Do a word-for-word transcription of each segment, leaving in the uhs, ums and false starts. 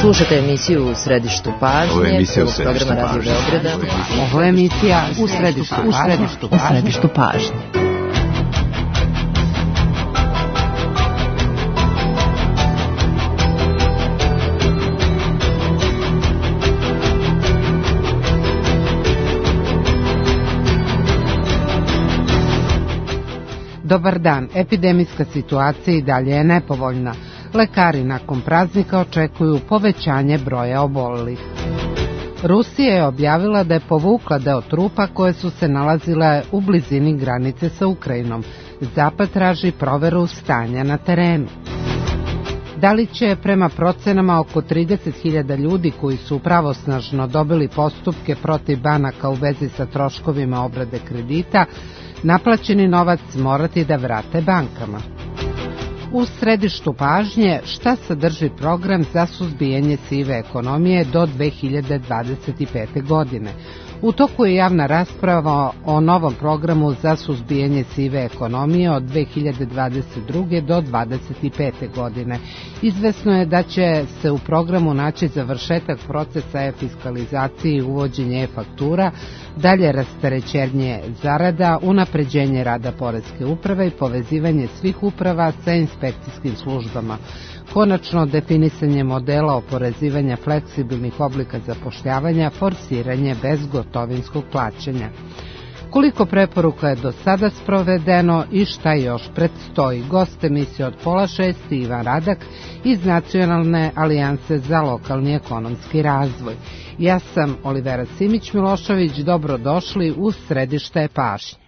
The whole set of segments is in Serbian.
Slušate emisiju U središtu pažnje. Ovo je emisija U središtu programa Radio Beograda. Ovo je emisija U središtu pažnje. U središtu pažnje. Dobar dan. Epidemijska situacija i dalje je nepovoljna. Lekari nakon praznika očekuju povećanje broja obolelih. Rusija je objavila da je povukla deo trupa koje su se nalazile u blizini granice sa Ukrajinom. Zapad traži proveru stanja na terenu. Da li će prema procenama oko trideset hiljada ljudi koji su pravosnažno dobili postupke protiv banaka u vezi sa troškovima obrade kredita, naplaćeni novac morati da vrate bankama? U središtu pažnje šta sadrži program za suzbijanje sive ekonomije do dve hiljade dvadeset pete. godine. U toku je javna rasprava o novom programu za suzbijanje sive ekonomije od dve hiljade dvadeset druge. do dvadeset pete. godine. Izvesno je da će se u programu naći završetak procesa e-fiskalizacije i uvođenje e-faktura, dalje rasterećenje zarada, unapređenje rada poreske uprave i povezivanje svih uprava sa inspekcijskim službama. Konačno definisanje modela oporezivanja fleksibilnih oblika zapošljavanja, forsiranje bezgotovinskog plaćanja. Koliko preporuka je do sada sprovedeno i šta još predstoji? Gost emisije od pola šest Ivan Radak iz Nacionalne alijanse za lokalni ekonomski razvoj. Ja sam Olivera Simić-Milošević, dobrodošli u središte pažnje.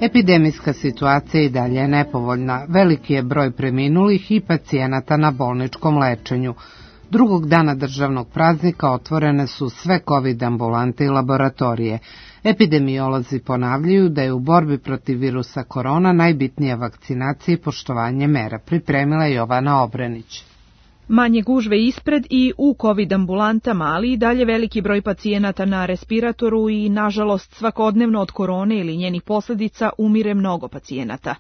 Epidemijska situacija i dalje je nepovoljna. Veliki je broj preminulih i pacijenata na bolničkom lečenju. Drugog dana državnog praznika otvorene su sve COVID ambulante i laboratorije. Epidemiolozi ponavljaju da je u borbi protiv virusa korona najbitnija vakcinacija i poštovanje mera. Pripremila je Jovana Obrenić. Manje gužve ispred i u COVID ambulantama, ali i dalje veliki broj pacijenata na respiratoru i, nažalost, svakodnevno od korone ili njenih posljedica umire mnogo pacijenata.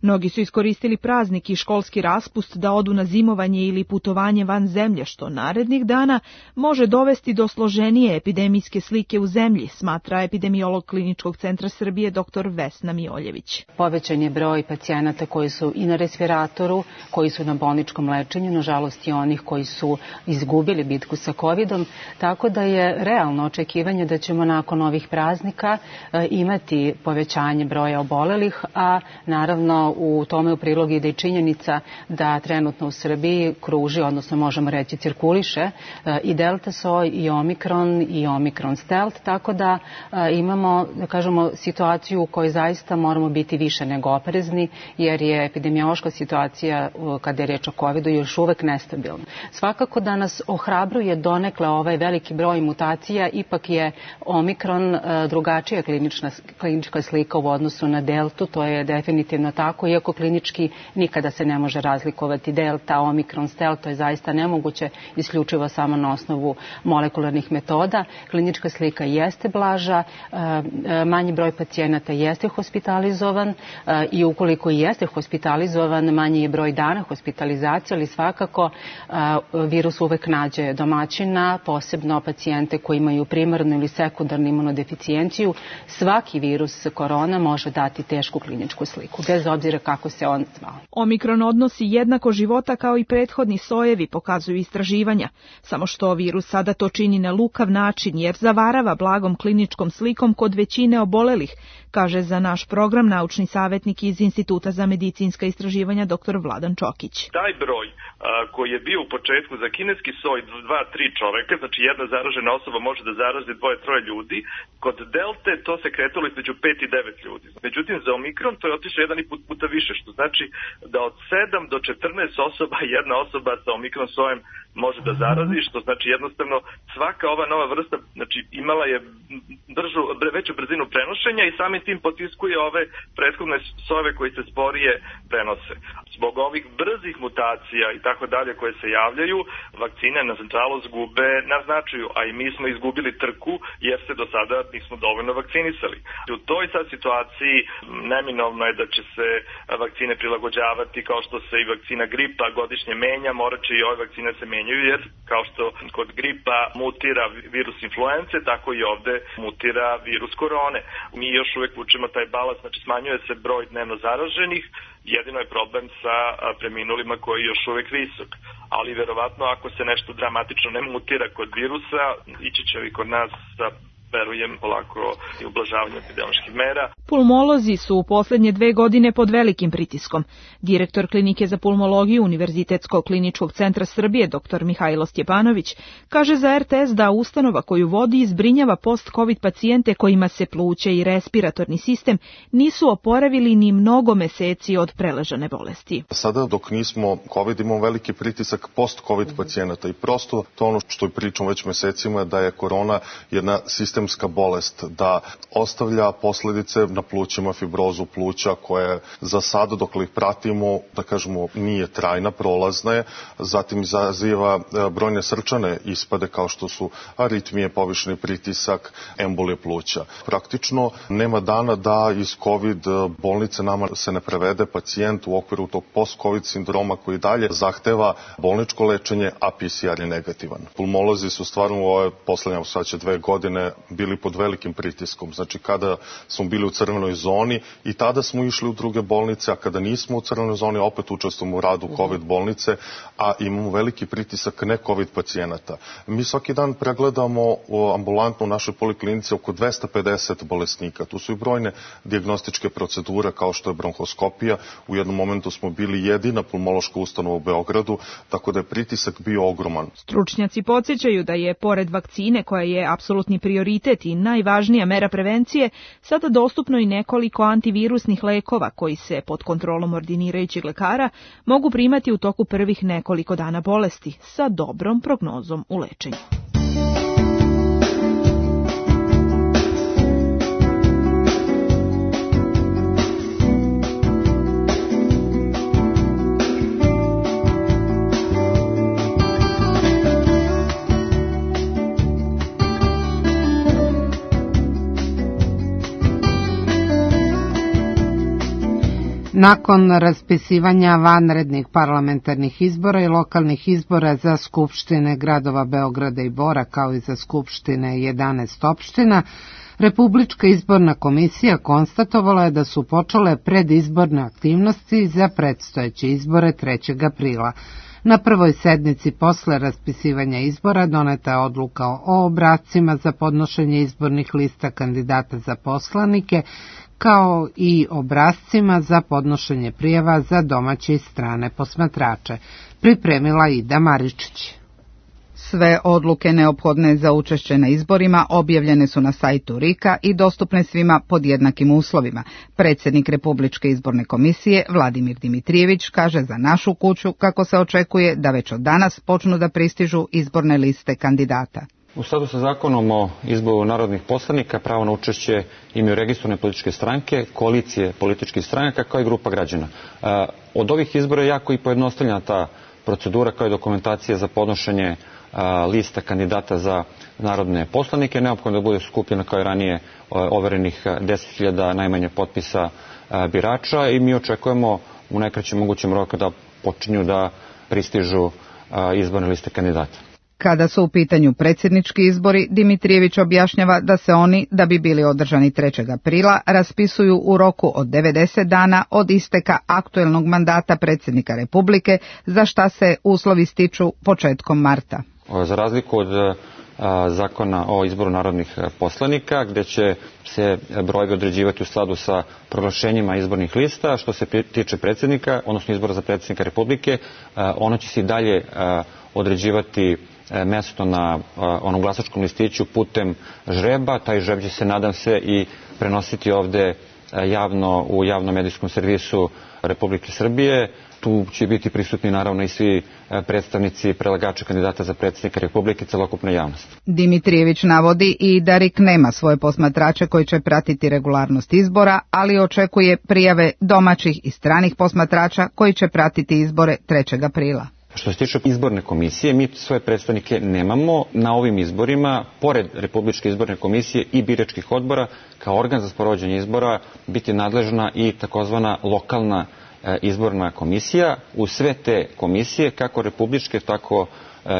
Mnogi su iskoristili praznik i školski raspust da odu na zimovanje ili putovanje van zemlje, što narednih dana može dovesti do složenije epidemijske slike u zemlji, smatra epidemiolog Kliničkog centra Srbije dr Vesna Mioljević. Povećan je broj pacijenata koji su i na respiratoru, koji su na bolničkom lečenju, nažalost i onih koji su izgubili bitku sa covidom, tako da je realno očekivanje da ćemo nakon ovih praznika imati povećanje broja obolelih, a naravno u tome u prilog ide i činjenica da trenutno u Srbiji kruži, odnosno možemo reći cirkuliše i delta soj i omikron i omikron stealth, tako da imamo, da kažemo, situaciju u kojoj zaista moramo biti više nego oprezni, jer je epidemiološka situacija kada je reč o covidu još uvek nestabilna. Svakako da nas ohrabruje donekle ovaj veliki broj mutacija, ipak je omikron drugačija klinična, klinička slika u odnosu na deltu, to je definitivno tako. Iako klinički nikada se ne može razlikovati delta, omikron, stealth, to je zaista nemoguće, isključivo samo na osnovu molekularnih metoda. Klinička slika jeste blaža, manji broj pacijenata jeste hospitalizovan i ukoliko jeste hospitalizovan, manji je broj dana hospitalizacije, ali svakako virus uvek nađe domaćina, posebno pacijente koji imaju primarnu ili sekundarnu imunodeficijenciju. Svaki virus korona može dati tešku kliničku sliku, bez obzira kako se on zvao. Omikron odnosi jednako života kao i prethodni sojevi, pokazuju istraživanja. Samo što virus sada to čini na lukav način, jer zavarava blagom kliničkom slikom kod većine obolelih, kaže za naš program naučni savjetnik iz Instituta za medicinska istraživanja dr Vladan Čokić. Taj broj a, koji je bio u početku za kineski soj dva tri čoveka, znači jedna zaražena osoba može da zarazi dvoje troje ljudi, kod delte to se kretalo između pet i devet ljudi. Međutim, za omikron to je otišlo jedan i put puta više, što znači da od sedam do četrnaest osoba jedna osoba sa omikron sojem može da zarazi, što znači jednostavno svaka ova nova vrsta znači imala je bržu, veću brzinu prenošenja i samim tim potiskuje ove prethodne sojeve koji se sporije prenose. Zbog ovih brzih mutacija i tako dalje koje se javljaju, vakcine nažalost gube na značaju, a i mi smo izgubili trku jer se do sada nismo dovoljno vakcinisali. U toj sad situaciji neminovno je da će se vakcine prilagođavati kao što se i vakcina gripa godišnje menja, morat će i ove vakcine se menjaju jer kao što kod gripa mutira virus influence, tako i ovde mutira virus korone. Mi još uvek vučemo taj balans, znači smanjuje se broj dnevno zaraženih, jedino je problem sa preminulima koji je još uvek visok. Ali verovatno ako se nešto dramatično ne mutira kod virusa, ići će i kod nas sa verujem polako i ublažavanje epidemioloških mera. Pulmolozi su u poslednje dve godine pod velikim pritiskom. Direktor Klinike za pulmologiju Univerzitetskog kliničkog centra Srbije, dr Mihajlo Stjepanović, kaže za er te es da ustanova koju vodi zbrinjava post-covid pacijente kojima se pluća i respiratorni sistem nisu oporavili ni mnogo meseci od preležane bolesti. Sada dok nismo covid imamo veliki pritisak post-covid pacijenata i prosto to ono što pričamo već mesecima da je korona jedna sistemska bolest, da ostavlja posledice na plućima, fibrozu pluća koje za sada dok ih pratimo, da kažemo, nije trajna, prolazna je, zatim izaziva brojne srčane ispade kao što su aritmije, povišeni pritisak, embolije pluća. Praktično nema dana da iz COVID bolnice nama se ne prevede pacijent u okviru tog post-covid sindroma koji dalje zahteva bolničko lečenje, a pe ce er je negativan. Pulmolozi su stvarno u ove poslednje sad će dve godine bili pod velikim pritiskom. Znači kada smo bili u crvenoj zoni i tada smo išli u druge bolnice, a kada nismo u crvenoj zoni opet učestvujemo u radu COVID bolnice, a imamo veliki pritisak ne COVID pacijenata. Mi svaki dan pregledamo ambulantno u našoj poliklinici oko dvesta pedeset bolesnika. Tu su i brojne dijagnostičke procedure kao što je bronhoskopija. U jednom momentu smo bili jedina pulmološka ustanova u Beogradu, tako da je pritisak bio ogroman. Stručnjaci podsjećaju da je pored vakcine koja je apsolutni prioritet i najvažnija mera prevencije, sada dostupno i nekoliko antivirusnih lekova koji se pod kontrolom ordinirajućeg lekara mogu primati u toku prvih nekoliko dana bolesti sa dobrom prognozom u lečenju. Nakon raspisivanja vanrednih parlamentarnih izbora i lokalnih izbora za skupštine gradova Beograda i Bora kao i za skupštine jedanaest opština, Republička izborna komisija konstatovala je da su počele predizborne aktivnosti za predstojeće izbore trećeg aprila. Na prvoj sednici posle raspisivanja izbora doneta je odluka o obrascima za podnošenje izbornih lista kandidata za poslanike, kao i obrascima za podnošenje prijava za domaće i strane posmatrače, pripremila Ida Maričić. Sve odluke neophodne za učešće na izborima objavljene su na sajtu er i ka i dostupne svima pod jednakim uslovima. Predsjednik Republičke izborne komisije Vladimir Dimitrijević kaže za našu kuću kako se očekuje da već od danas počnu da pristižu izborne liste kandidata. U skladu sa zakonom o izboru narodnih poslanika, pravo na učešće imaju registrovane političke stranke, koalicije političkih stranaka kao i grupa građana. Od ovih izbora je jako i pojednostavljena ta procedura kao i dokumentacija za podnošenje lista kandidata za narodne poslanike. Neophodno da bude skupljena kao i ranije overenih deset hiljada najmanje potpisa birača i mi očekujemo u najkraćem mogućem roku da počinju da pristižu izborne liste kandidata. Kada su u pitanju predsjednički izbori, Dimitrijević objašnjava da se oni, da bi bili održani trećeg aprila, raspisuju u roku od devedeset dana od isteka aktuelnog mandata predsjednika Republike, za šta se uslovi stiču početkom marta. Za razliku od zakona o izboru narodnih poslanika, gde će se brojevi određivati u skladu sa proglašenjima izbornih lista, što se tiče predsjednika, odnosno izbora za predsjednika Republike, ono će se i dalje određivati mesto na onom glasačkom listiću putem žreba. Taj žreb će se, nadam se, i prenositi ovde javno u javnom medijskom servisu Republike Srbije. Tu će biti prisutni naravno i svi predstavnici predlagača kandidata za predsjednika Republike, celokupna javnost. Dimitrijević navodi i da R I K nema svoje posmatrače koji će pratiti regularnost izbora, ali očekuje prijave domaćih i stranih posmatrača koji će pratiti izbore trećeg aprila. Što se tiče izborne komisije, mi svoje predstavnike nemamo na ovim izborima. Pored Republičke izborne komisije i biračkih odbora, kao organ za sprovođenje izbora biti nadležna i takozvana lokalna izborna komisija. U sve te komisije, kako republičke, tako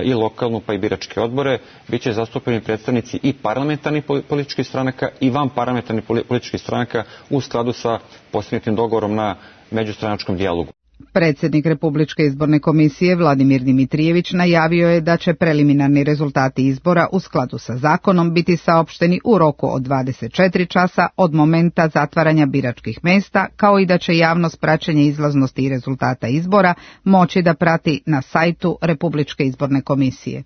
i lokalnu, pa i biračke odbore, bit će zastupljeni predstavnici i parlamentarnih političkih stranaka i van parlamentarnih političkih stranaka u skladu sa postignutim dogovorom na međustranačkom dijalogu. Predsjednik Republičke izborne komisije Vladimir Dimitrijević najavio je da će preliminarni rezultati izbora u skladu sa zakonom biti saopšteni u roku od dvadeset četiri časa od momenta zatvaranja biračkih mesta, kao i da će javnost praćenje izlaznosti i rezultata izbora moći da prati na sajtu Republičke izborne komisije.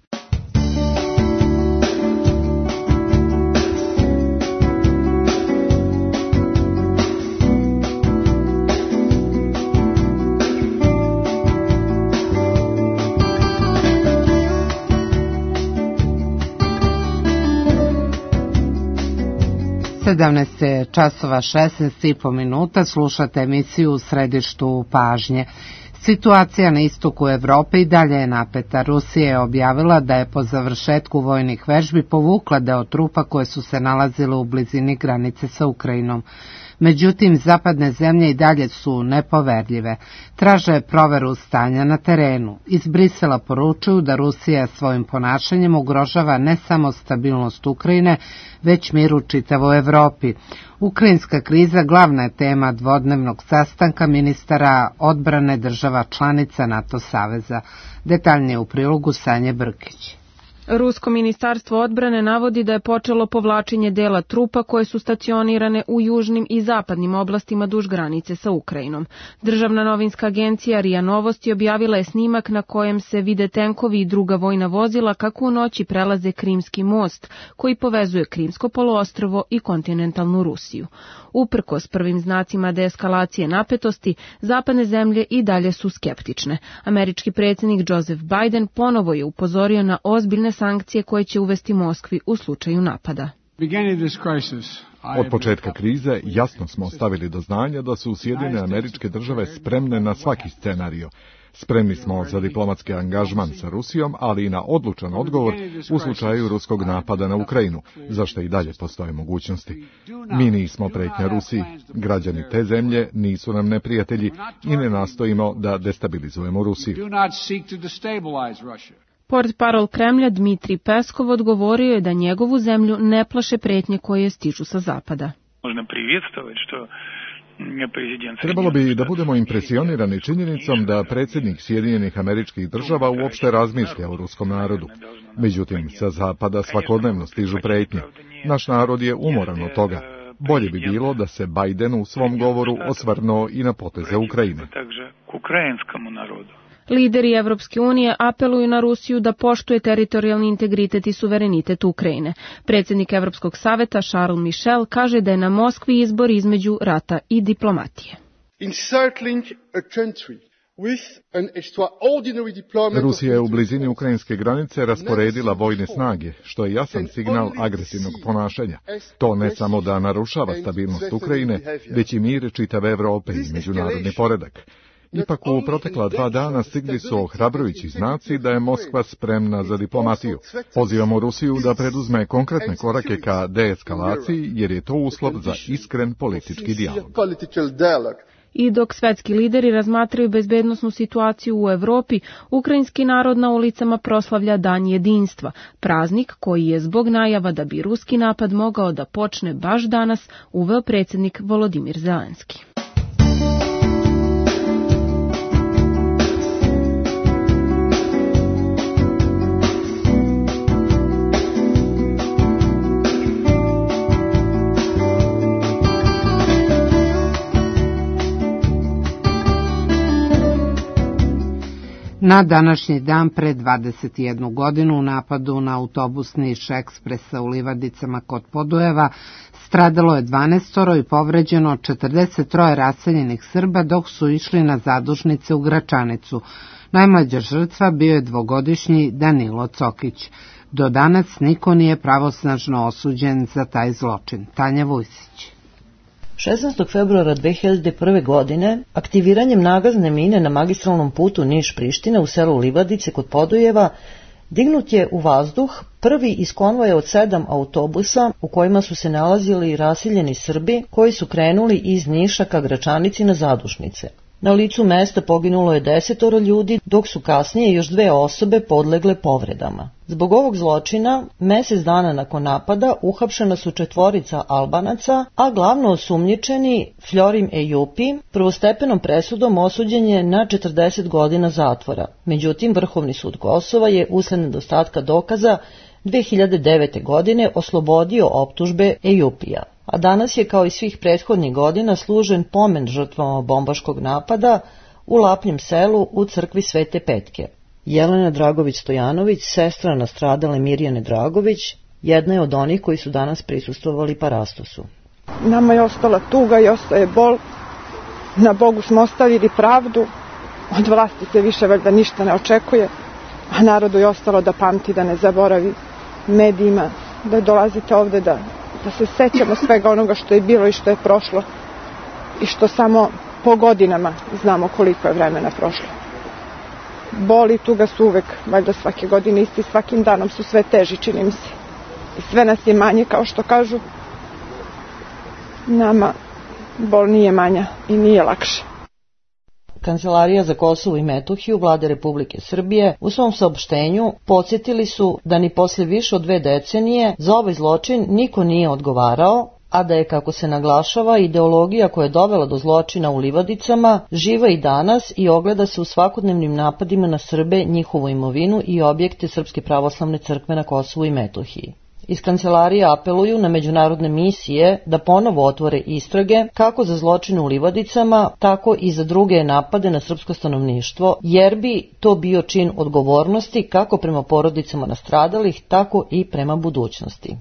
sedamnaest časova šesnaest i po minuta, slušate emisiju U središtu pažnje. Situacija na istoku Evrope i dalje je napeta. Rusija je objavila da je po završetku vojnih vežbi povukla deo trupa koje su se nalazile u blizini granice sa Ukrajinom. Međutim, zapadne zemlje i dalje su nepoverljive. Traže proveru stanja na terenu. Iz Brisela poručuju da Rusija svojim ponašanjem ugrožava ne samo stabilnost Ukrajine, već mir u čitavoj Evropi. Ukrajinska kriza glavna je tema dvodnevnog sastanka ministara odbrane država članica NATO saveza. Detaljnije u prilogu Sanje Brkić. Rusko ministarstvo odbrane navodi da je počelo povlačenje dela trupa koje su stacionirane u južnim i zapadnim oblastima duž granice sa Ukrajinom. Državna novinska agencija R I A Novosti objavila je snimak na kojem se vide tenkovi i druga vojna vozila kako u noći prelaze Krimski most, koji povezuje Krimsko poluostrvo i kontinentalnu Rusiju. Uprkos prvim znacima deeskalacije napetosti, zapadne zemlje i dalje su skeptične. Američki predsjednik Joseph Biden ponovo je upozorio na ozbiljne sankcije koje će uvesti Moskvi u slučaju napada. Od početka krize jasno smo stavili do znanja da su Sjedinjene Američke Države spremne na svaki scenario. Spremni smo za diplomatski angažman sa Rusijom, ali i na odlučan odgovor u slučaju ruskog napada na Ukrajinu, za što i dalje postoje mogućnosti. Mi nismo pretnja Rusiji, građani te zemlje nisu nam neprijatelji i ne nastojimo da destabilizujemo Rusiju. Portparol Kremlja Dmitrij Peskov odgovorio je da njegovu zemlju ne plaše pretnje koje stižu sa zapada. Trebalo bi da budemo impresionirani činjenicom da predsjednik Sjedinjenih Američkih Država uopšte razmišlja o ruskom narodu. Međutim, sa zapada svakodnevno stižu pretnje. Naš narod je umoran od toga. Bolje bi bilo da se Biden u svom govoru osvrnuo i na poteze Ukrajine. Lideri Evropske unije apeluju na Rusiju da poštuje teritorijalni integritet i suverenitet Ukrajine. Predsjednik Evropskog saveta Charles Michel kaže da je na Moskvi izbor između rata i diplomatije. Rusija je u blizini ukrajinske granice rasporedila vojne snage, što je jasan signal agresivnog ponašanja. To ne samo da narušava stabilnost Ukrajine, već i mir čitave Evrope i međunarodni poredak. Ipak u protekla dva dana stigli su ohrabrujući znaci da je Moskva spremna za diplomatiju. Pozivamo Rusiju da preduzme konkretne korake ka deeskalaciji, jer je to uslov za iskren politički dijalog. I dok svetski lideri razmatraju bezbednosnu situaciju u Evropi, ukrajinski narod na ulicama proslavlja Dan jedinstva, praznik koji je zbog najava da bi ruski napad mogao da počne baš danas uveo predsjednik Volodimir Zelenski. Na današnji dan pre dvadeset jednu godinu u napadu na autobus Niš Ekspresa u Livadicama kod Podujeva Stradalo je dvanaestoro i povređeno četrdeset troje raseljenih Srba dok su išli na zadušnice u Gračanicu. Najmlađa žrtva bio je dvogodišnji Danilo Cokić. Do danas niko nije pravosnažno osuđen za taj zločin. Tanja Vujsić. šesnaestog februara dve hiljade prve. godine aktiviranjem nagazne mine na magistralnom putu Niš-Priština u selu Livadice kod Podujeva dignut je u vazduh prvi iz konvoja od sedam autobusa u kojima su se nalazili raseljeni Srbi koji su krenuli iz Niša ka Gračanici na zadušnice. Na licu mesta poginulo je desetoro ljudi, dok su kasnije još dve osobe podlegle povredama. Zbog ovog zločina, mesec dana nakon napada, uhapšena su četvorica Albanaca, a glavno osumnjičeni Florim Ejupi prvostepenom presudom osuđen je na četrdeset godina zatvora. Međutim, Vrhovni sud Kosova je usled nedostatka dokaza dve hiljade devete. godine oslobodio optužbe Ejupija. A danas je, kao i svih prethodnih godina, služen pomen žrtvama bombaškog napada u Lapnjem selu u crkvi Svete Petke. Jelena Dragović-Stojanović, sestra nastradale Mirjane Dragović, jedna je od onih koji su danas prisustvovali parastosu. Nama je ostala tuga i ostaje bol. Na Bogu smo ostavili pravdu. Od vlasti se više valjda ništa ne očekuje. A narodu je ostalo da pamti, da ne zaboravi, medijima, da dolazite ovde da... da se sećamo svega onoga što je bilo i što je prošlo i što samo po godinama znamo koliko je vremena prošlo. Boli i tuga su uvek, valjda svake godine isti, svakim danom su sve teži, čini mi se. I sve nas je manje, kao što kažu. Nama bol nije manja i nije lakše. Kancelarija za Kosovo i Metohiju Vlade Republike Srbije u svom saopštenju podsjetili su da ni posle više od dve decenije za ovaj zločin niko nije odgovarao, a da je, kako se naglašava, ideologija koja je dovela do zločina u Livadicama živa i danas i ogleda se u svakodnevnim napadima na Srbe, njihovu imovinu i objekte Srpske pravoslavne crkve na Kosovu i Metohiji. Iz kancelarije apeluju na međunarodne misije da ponovo otvore istrage kako za zločine u Livadicama, tako i za druge napade na srpsko stanovništvo, jer bi to bio čin odgovornosti kako prema porodicama nastradalih, tako i prema budućnosti.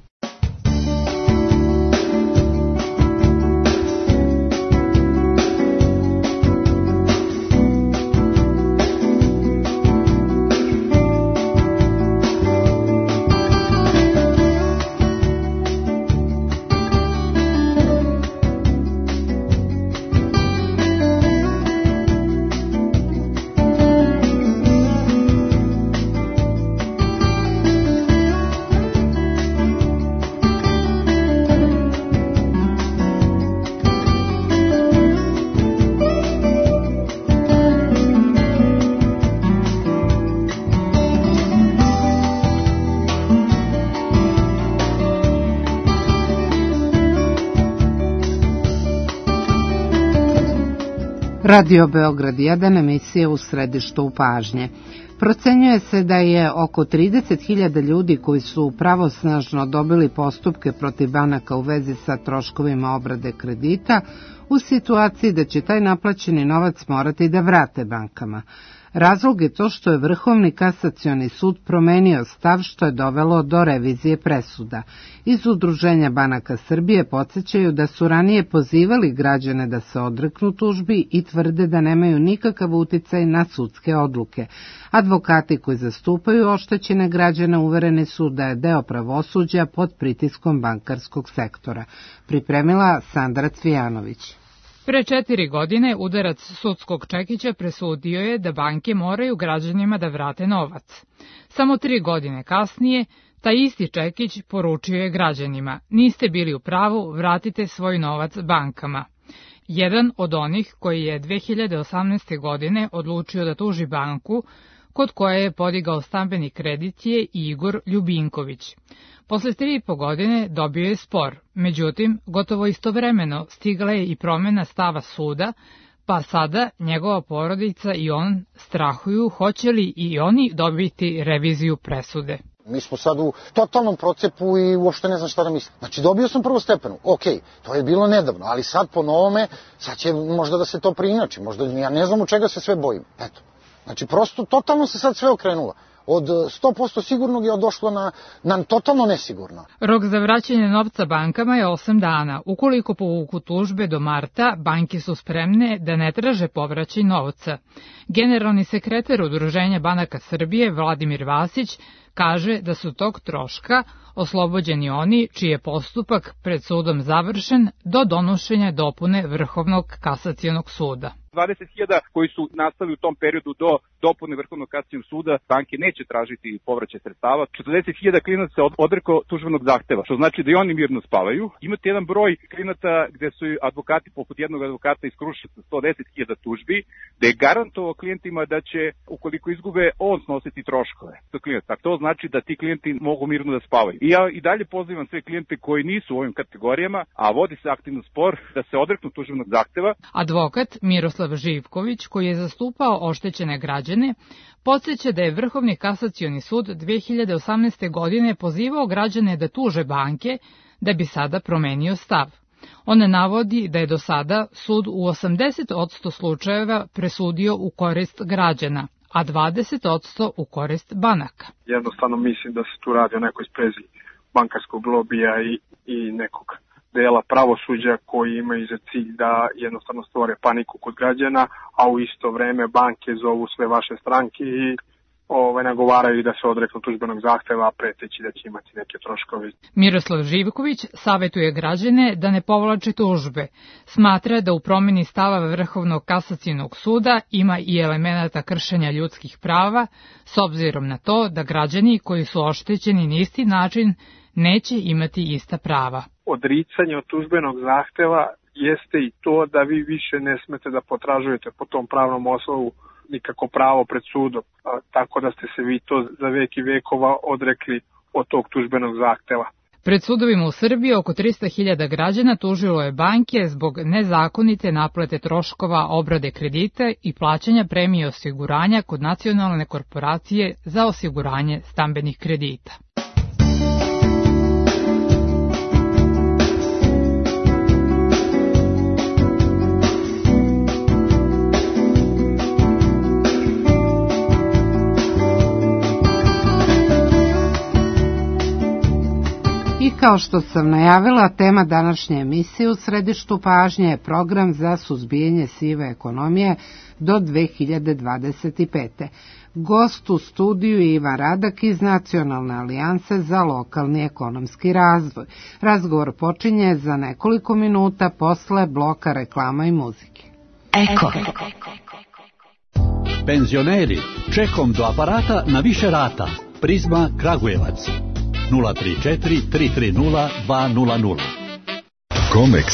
Radio Beograd jedan, emisija U središtu pažnje. Procenjuje se da je oko trideset hiljada ljudi koji su pravosnažno dobili postupke protiv banaka u vezi sa troškovima obrade kredita u situaciji da će taj naplaćeni novac morati da vrate bankama. Razlog je to što je Vrhovni kasacioni sud promenio stav, što je dovelo do revizije presuda. Iz Udruženja banaka Srbije podsjećaju da su ranije pozivali građane da se odreknu tužbi i tvrde da nemaju nikakav uticaj na sudske odluke. Advokati koji zastupaju oštećene građane uvereni su da je deo pravosuđa pod pritiskom bankarskog sektora. Pripremila Sandra Cvijanović. Pre četiri godine udarac sudskog čekića presudio je da banke moraju građanima da vrate novac. Samo tri godine kasnije, taj isti čekić poručio je građanima: niste bili u pravu, vratite svoj novac bankama. Jedan od onih koji je dve hiljade osamnaeste. godine odlučio da tuži banku kod koje je podigao stambeni kredit je Igor Ljubinković. Posle tri i po godine dobio je spor, međutim, gotovo istovremeno stigla je i promena stava suda, pa sada njegova porodica i on strahuju hoće li i oni dobiti reviziju presude. Mi smo sad u totalnom procepu i uopšte ne znam šta da mislim. Znači, dobio sam prvu stepenu, ok, to je bilo nedavno, ali sad po novome, sad će možda da se to preinači, možda ja ne znam u čega se sve bojim, eto. Znači, prosto, totalno se sad sve okrenulo. od sto posto sigurnog je došlo na, na totalno nesigurno. Rok za vraćanje novca bankama je osam dana. Ukoliko povuku tužbe do marta, banke su spremne da ne traže povraćaj novca. Generalni sekretar Udruženja banaka Srbije Vladimir Vasić kaže da su tog troška oslobođeni oni čiji je postupak pred sudom završen do donošenja dopune Vrhovnog kasacionog suda. dvadeset hiljada koji su nastali u tom periodu do dopune Vrhovnog kasacionog suda, banke neće tražiti povraćaj sredstava. četrdeset hiljada klijenata se odreklo tužbenog zahteva, što znači da i oni mirno spavaju. Imate jedan broj klijenata gde su advokati, poput jednog advokata iz Kruševca, sto deset hiljada tužbi, da je garantovao klijentima da će, ukoliko izgube, on snositi troškove. To znači da ti klijenti mogu mirno da spavaju. I ja i dalje pozivam sve klijente koji nisu u ovim kategorijama, a vodi se aktivno spor, da se odreknu tužbenog zahteva. Advokat Miroslav Živković, koji je zastupao oštećene građane, podsjeća da je Vrhovni kasacioni sud dve hiljade osamnaeste. godine pozivao građane da tuže banke da bi sada promenio stav. On navodi da je do sada sud u osamdeset posto slučajeva presudio u korist građana, a dvadeset posto u korist banaka. Jednostavno mislim da se tu radi o nekoj sprezi bankarskog lobija i, i nekog dela pravosuđa koji imaju za cilj da jednostavno stvore paniku kod građana, a u isto vreme banke zovu sve vaše stranke i ove, nagovaraju da se odreknu tužbenog zahteva, preteći da će imati neke troškove. Miroslav Živković savetuje građane da ne povlače tužbe. Smatra da u promjeni stava Vrhovnog kasacionog suda ima i elemenata kršenja ljudskih prava, s obzirom na to da građani koji su oštećeni na isti način neće imati ista prava. Odricanje od tužbenog zahteva jeste i to da vi više ne smete da potražujete po tom pravnom osnovu nikako pravo pred sudom, a, tako da ste se vi to za veki vekova odrekli od tog tužbenog zahteva. Pred sudovima u Srbiji oko trista hiljada građana tužilo je banke zbog nezakonite naplate troškova obrade kredita i plaćanja premije osiguranja kod Nacionalne korporacije za osiguranje stambenih kredita. I kao što sam najavila, tema današnje emisije u središtu pažnje je program za suzbijanje sive ekonomije do dve hiljade dvadeset pete. Gost u studiju je Ivan Radak iz Nacionalne alijanse za lokalni ekonomski razvoj. Razgovor počinje za nekoliko minuta posle bloka reklama i muzike. Eko. Penzioneri, čekom do aparata na više rata. Prizma Kragujevac. nula tri četiri tri tri nula dva nula nula. Comex.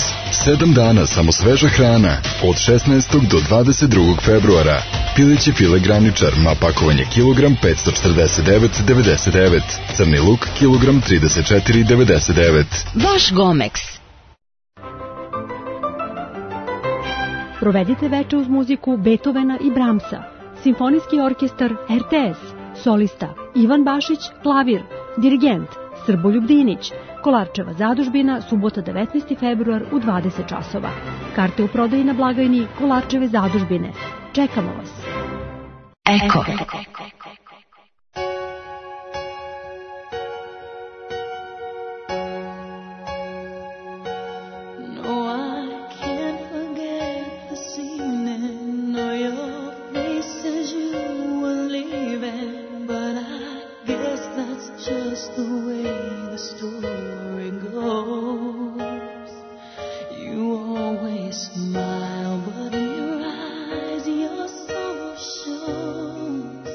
Sedam dana samo sveža hrana. Od šesnaestog do dvadeset drugog februara. Pileći file graničar, ma pakovanje kilogram petsto četrdeset devet zarez devedeset devet. Crni luk kilogram trideset četiri zarez devedeset devet. Vaš Gomex. Provedite veče uz muziku Beethovena i Brahmsa. Simfonijski orkestar R T S. Solista Ivan Bašić, klavir. Dirigent Srboljub Dinić. Kolarčeva zadužbina, subota devetnaesti februar u dvadeset časova. Karte u prodaji na blagajni Kolarčeve zadužbine. Čekamo vas. Eko. Smile, but in your eyes your soul shows.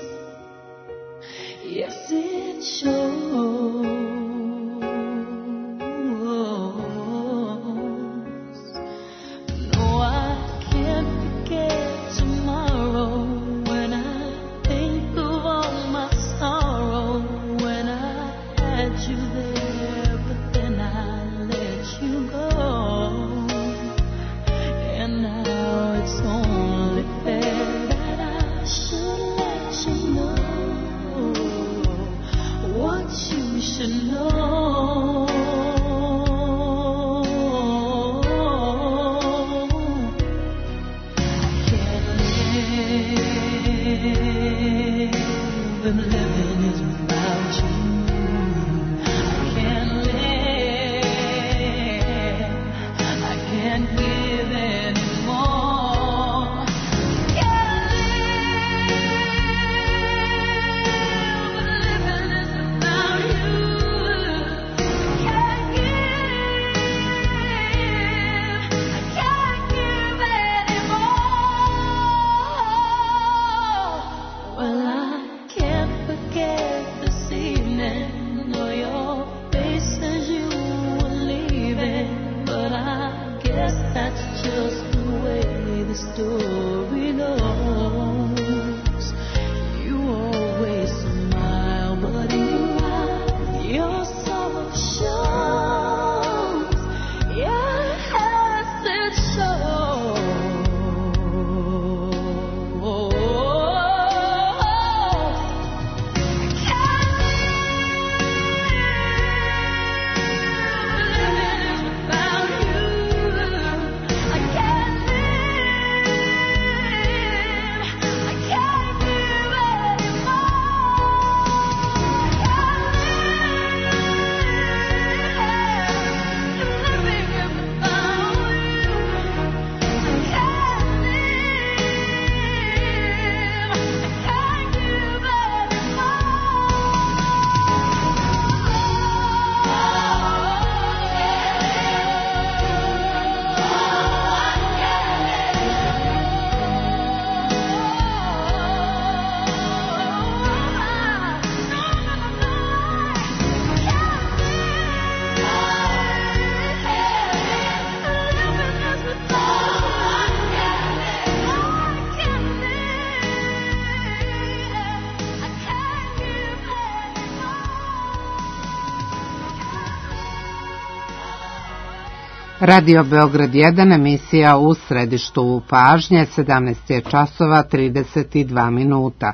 Radio Beograd jedan, emisija U središtu pažnje, sedamnaest je časova trideset dva minuta.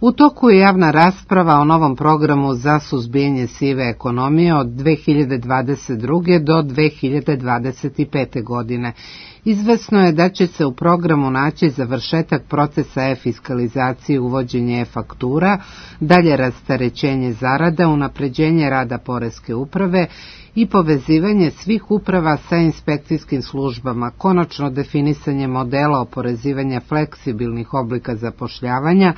U toku je javna rasprava o novom programu za suzbijanje sive ekonomije od dve hiljade dvadeset druge do dve hiljade dvadeset pete. godine. Izvesno je da će se u programu naći završetak procesa e-fiskalizacije, uvođenje e-faktura, dalje rasterećenje zarada, unapređenje rada poreske uprave i povezivanje svih uprava sa inspekcijskim službama, konačno definisanje modela oporezivanja fleksibilnih oblika zapošljavanja,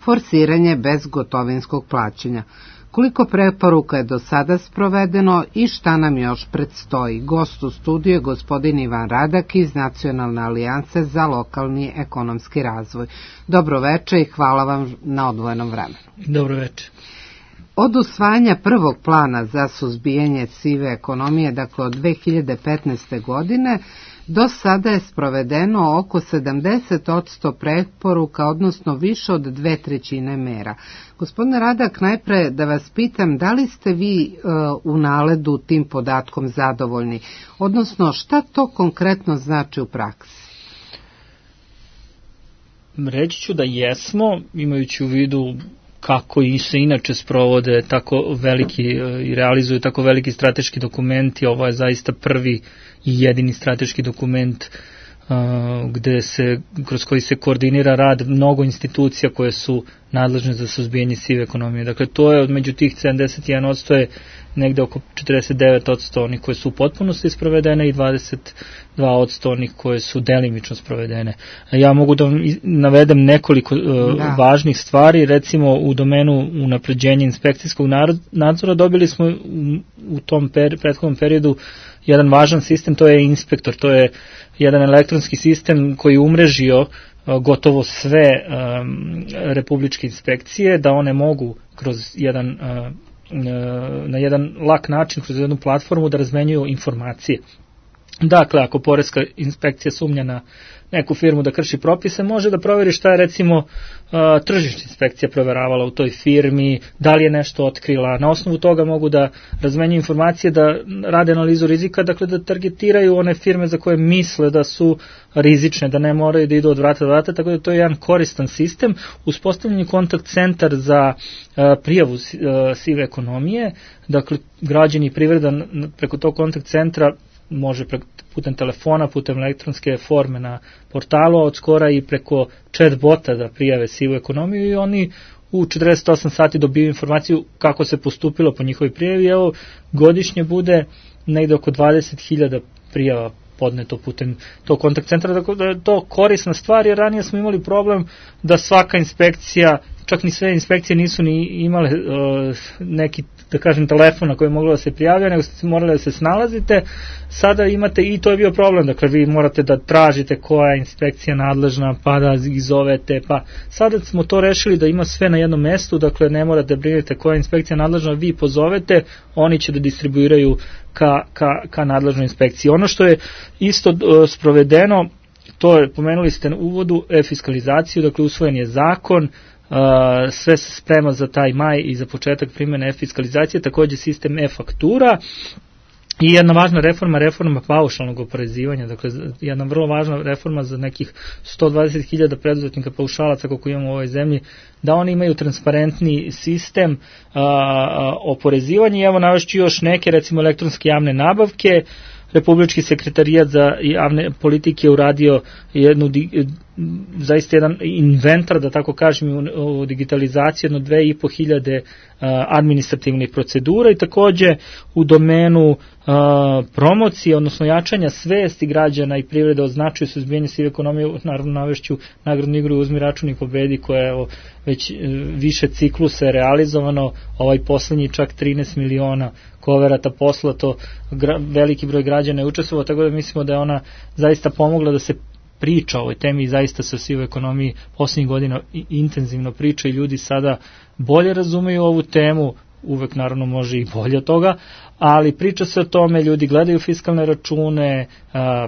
forsiranje bezgotovinskog plaćanja. Koliko preporuka je do sada sprovedeno i šta nam još predstoji? Gost u studiju je gospodin Ivan Radak iz Nacionalne alijanse za lokalni ekonomski razvoj. Dobro veče i hvala vam na odvojenom vremenu. Dobro veče. Od usvajanja prvog plana za suzbijanje sive ekonomije, dakle od dve hiljade petnaeste. godine, do sada je sprovedeno oko sedamdeset posto preporuka, odnosno više od dve trećine mera. Gospodine Radak, najpre da vas pitam, da li ste vi uh, u naledu tim podatkom zadovoljni, odnosno šta to konkretno znači u praksi? Reći ću da jesmo, imajući u vidu kako i se inače sprovode tako veliki i realizuju tako veliki strateški dokumenti. Ovo je zaista prvi i jedini strateški dokument uh, gde se, kroz koji se koordinira rad mnogo institucija koje su nadležne za suzbijanje sive ekonomije. Dakle, to je među tih sedamdeset jedan posto je negde oko četrdeset devet posto onih koje su u potpunosti sprovedene i dvadeset dva posto onih koje su delimično sprovedene. Ja mogu da vam navedem nekoliko uh, da. važnih stvari. Recimo, u domenu unapređenja inspekcijskog nadzora dobili smo u, u tom per, prethodnom periodu jedan važan sistem, to je inspektor, to je jedan elektronski sistem koji je umrežio uh, gotovo sve um, republičke inspekcije, da one mogu kroz jedan uh, na jedan lak način, kroz jednu platformu da razmenjuju informacije. Dakle, ako poreska inspekcija sumnja na neku firmu da krši propise, može da proveri šta je recimo tržišna inspekcija proveravala u toj firmi, da li je nešto otkrila. Na osnovu toga mogu da razmenjuju informacije, da rade analizu rizika, dakle da targetiraju one firme za koje misle da su rizične, da ne moraju da idu od vrata do vrata, tako da to je jedan koristan sistem. Uspostavljen je kontakt centar za prijavu sive ekonomije, dakle građani i privreda preko tog kontakt centra može putem telefona, putem elektronske forme na portalu, a od skora i preko chat bota da prijave sivu ekonomiju i oni u četrdeset osam sati dobiju informaciju kako se postupilo po njihovoj prijavi. Evo, godišnje bude negde oko dvadeset hiljada prijava podneto putem tog kontakt centra, tako da je to korisna stvar, jer ranije smo imali problem da svaka inspekcija, čak ni sve inspekcije nisu ni imale uh, neki, da kažem, telefon na koji je moglo da se prijavlja, nego ste morali da se snalazite. Sada imate, i to je bio problem, dakle vi morate da tražite koja je inspekcija nadležna, pa da ih zovete, pa sada smo to rešili da ima sve na jednom mestu, dakle ne morate da brinete koja je inspekcija nadležna, vi pozovete, oni će da distribuiraju ka, ka, ka nadležnoj inspekciji. Ono što je isto uh, sprovedeno, to je, pomenuli ste u uvodu, e-fiskalizaciju, dakle usvojen je zakon, Uh, sve se sprema za taj maj i za početak primjene e-fiskalizacije, takođe sistem e-faktura i jedna važna reforma, reforma paušalnog oporezivanja, dakle jedna vrlo važna reforma za nekih sto dvadeset hiljada preduzetnika paušalaca koliko imamo u ovoj zemlji, da oni imaju transparentni sistem uh, oporezivanja. I evo navešću još neke, recimo elektronske javne nabavke. Republički sekretarijat za javne politike uradio jednu, zaista jedan inventar, da tako kažem, u digitalizaciji, jedno dve i po hiljade administrativnih procedura i takođe u domenu promocije, odnosno jačanja svesti građana i privrede o značaju suzbijanja sive ekonomije, naravno navešću nagradnu igru Uzmi račun i pobedi, koja je već više ciklusa je realizovano, ovaj poslednji čak trinaest miliona koverata poslato, veliki broj građana je učestvovao, tako da mislimo da je ona zaista pomogla da se priča o ovoj temi i zaista se o sivoj ekonomiji poslednjih godina intenzivno priča i ljudi sada bolje razumeju ovu temu, uvek naravno može i bolje od toga, ali priča se o tome, ljudi gledaju fiskalne račune, a,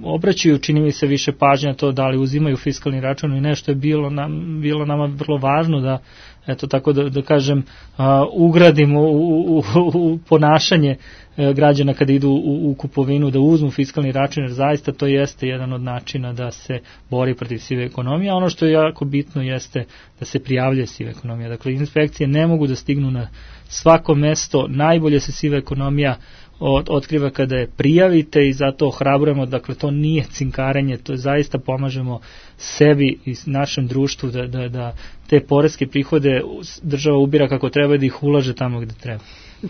obraćaju, čini mi se, više pažnja na to da li uzimaju fiskalni račun i nešto je bilo, nam, bilo nama vrlo važno da, eto tako da, da kažem, a, ugradimo u, u, u ponašanje e, građana kada idu u, u kupovinu, da uzmu fiskalni račun, jer zaista to jeste jedan od načina da se bori protiv sive ekonomije, a ono što je jako bitno jeste da se prijavljuje siva ekonomija. Dakle, inspekcije ne mogu da stignu na svako mesto, najbolje se siva ekonomija Od, otkriva kada je prijavite i zato ohrabrujemo, dakle to nije cinkarenje, to je zaista pomažemo sebi i našem društvu da, da, da te poreske prihode država ubira kako treba, da ih ulaže tamo gde treba.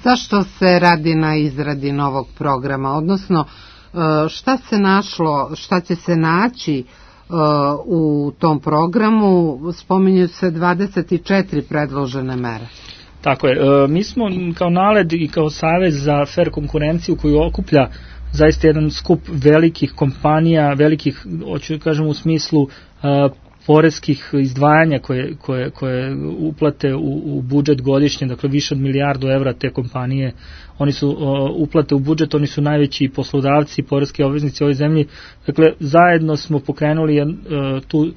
Zašto se radi na izradi novog programa, odnosno šta se našlo, šta će se naći u tom programu? Spominju se dvadeset četiri predložene mere. Tako je, mi smo kao NALED i kao Savez za fair konkurenciju koju okuplja zaista jedan skup velikih kompanija, velikih, hoću da kažem u smislu poreskih izdvajanja koje, koje, koje uplate u, u budžet godišnje, dakle više od milijardu evra te kompanije, oni su uplate u budžet, oni su najveći poslodavci, poreski obveznici u ovoj zemlji, dakle zajedno smo pokrenuli tu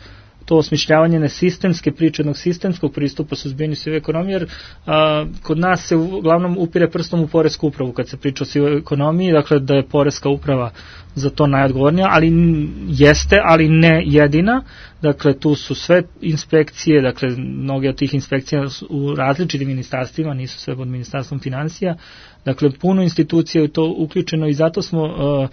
to osmišljavanje na sistemske priče, jednog sistemskog pristupa suzbijanju sive ekonomije, jer a, kod nas se uglavnom upire prstom u poresku upravu kad se priča o sivoj ekonomiji, dakle da je poreska uprava za to najodgovornija, ali jeste, ali ne jedina. Dakle, tu su sve inspekcije, dakle, mnoge od tih inspekcija su u različitim ministarstvima, nisu sve pod ministarstvom financija, dakle, puno institucija je to uključeno i zato smo uh, uh,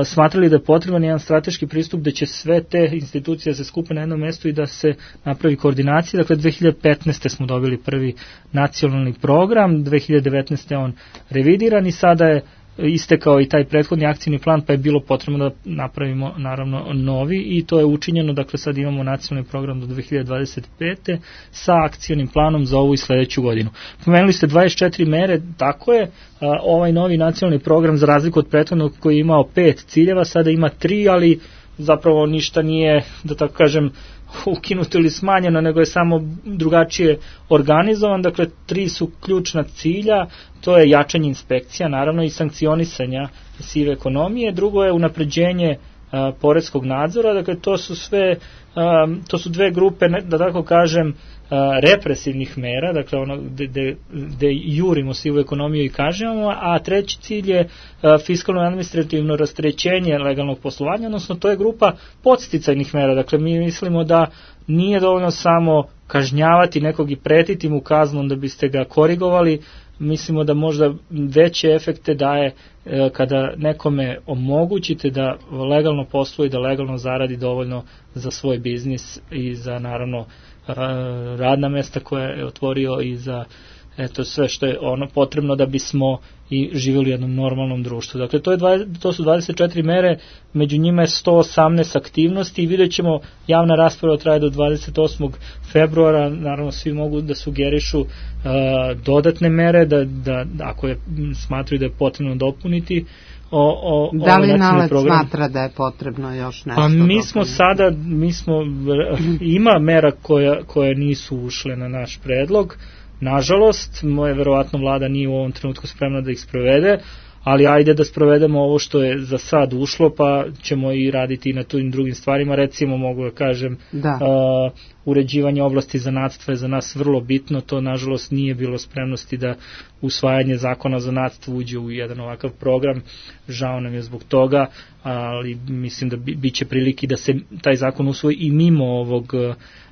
smatrali da je potreban jedan strateški pristup da će sve te institucije da se skupe na jednom mestu i da se napravi koordinacija. Dakle, dve hiljade petnaeste. smo dobili prvi nacionalni program, dve hiljade devetnaeste. on revidiran i sada je istekao i taj prethodni akcijni plan, pa je bilo potrebno da napravimo naravno novi i to je učinjeno, dakle sad imamo nacionalni program do dve hiljade dvadeset pete. sa akcijnim planom za ovu i sledeću godinu. Pomenuli ste dvadeset četiri mere, tako je, ovaj novi nacionalni program za razliku od prethodnog koji je imao pet ciljeva, sada ima tri, ali zapravo ništa nije, da tako kažem, ukinuto ili smanjeno, nego je samo drugačije organizovan. Dakle, tri su ključna cilja, to je jačanje inspekcija, naravno i sankcionisanja sive ekonomije, drugo je unapređenje a, poreskog nadzora, dakle to su sve, a, to su dve grupe, da tako kažem, a, represivnih mera, dakle ono gde jurimo sivu ekonomiju i kažemo, a treći cilj je a, fiskalno administrativno rasterećenje legalnog poslovanja, odnosno to je grupa podsticajnih mera, dakle mi mislimo da nije dovoljno samo kažnjavati nekog i pretiti mu kaznom da biste ga korigovali, mislimo da možda veće efekte daje e, kada nekome omogućite da legalno posluje i da legalno zaradi dovoljno za svoj biznis i za naravno e, radna mesta koje je otvorio i za eto sve što je ono potrebno da bismo i živjeli u jednom normalnom društvu. Dakle, to, je dvadeset, to su dvadeset četiri mere, među njima je sto osamnaest aktivnosti i vidjet ćemo, javna rasprava traje do dvadeset osmog februara, naravno svi mogu da sugerišu uh, dodatne mere, da, da ako je, smatruju da je potrebno dopuniti. O, o, da li NALED smatra da je potrebno još nešto? Pa mi smo sada, mi smo, ima mera koja, koje nisu ušle na naš predlog, nažalost, moje verovatno vlada nije u ovom trenutku spremna da ih sprovede, ali ajde da sprovedemo ovo što je za sad ušlo, pa ćemo i raditi i na tim drugim stvarima. Recimo, mogu da kažem, da. Uh, uređivanje oblasti zanatstva je za nas vrlo bitno, to nažalost nije bilo spremnosti da usvajanje zakona o zanatstvu uđe u jedan ovakav program, žao nam je zbog toga, ali mislim da bi, bit će prilike da se taj zakon usvoji i mimo ovog,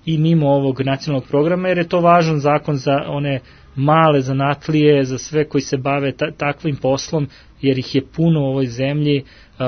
i mimo ovog nacionalnog programa, jer je to važan zakon za one male zanatlije, za sve koji se bave ta, takvim poslom, jer ih je puno u ovoj zemlji uh,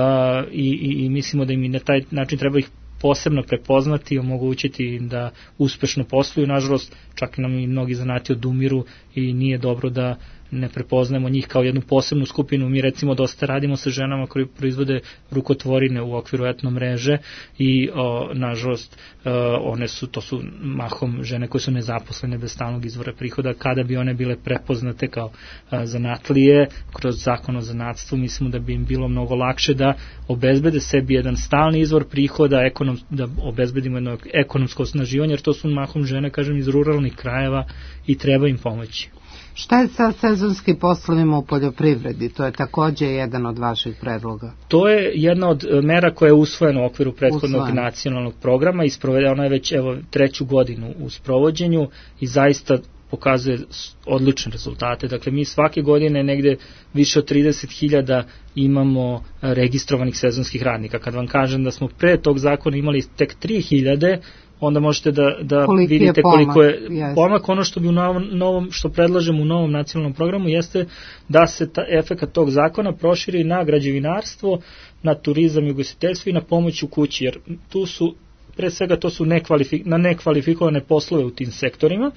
i, i, i mislimo da im i na taj način treba ih posebno prepoznati i omogućiti im da uspešno posluju. Nažalost, čak nam i mnogi zanati odumiru i nije dobro da ne prepoznajemo njih kao jednu posebnu skupinu. Mi recimo dosta radimo sa ženama koji proizvode rukotvorine u okviru etno mreže i o, nažalost o, one su, to su mahom žene koje su nezaposlene bez stalnog izvora prihoda. Kada bi one bile prepoznate kao a, zanatlije kroz zakon o zanatstvu, mislimo da bi im bilo mnogo lakše da obezbede sebi jedan stalni izvor prihoda, ekonom, da obezbedimo jedno ekonomsko osnaživanje, jer to su mahom žene, kažem, iz ruralnih krajeva i treba im pomoći. Šta je sa sezonskim poslovima u poljoprivredi? To je takođe jedan od vaših predloga. To je jedna od mera koja je usvojena u okviru prethodnog Usvojen. nacionalnog programa i sprovede, ona je već evo, treću godinu u sprovođenju i zaista pokazuje odlične rezultate. Dakle, mi svake godine negde više od trideset hiljada imamo registrovanih sezonskih radnika. Kad vam kažem da smo pre tog zakona imali tek tri hiljade, onda možete da, da vidite je pomak, koliko je yes. pomak. Ono što bi u novom, novom, što predlažemo u novom nacionalnom programu jeste da se ta efekat tog zakona proširi na građevinarstvo, na turizam i ugostiteljstvo i na pomoć u kući, jer tu su, pre svega to su nekvalifik, na nekvalifikovane poslove u tim sektorima,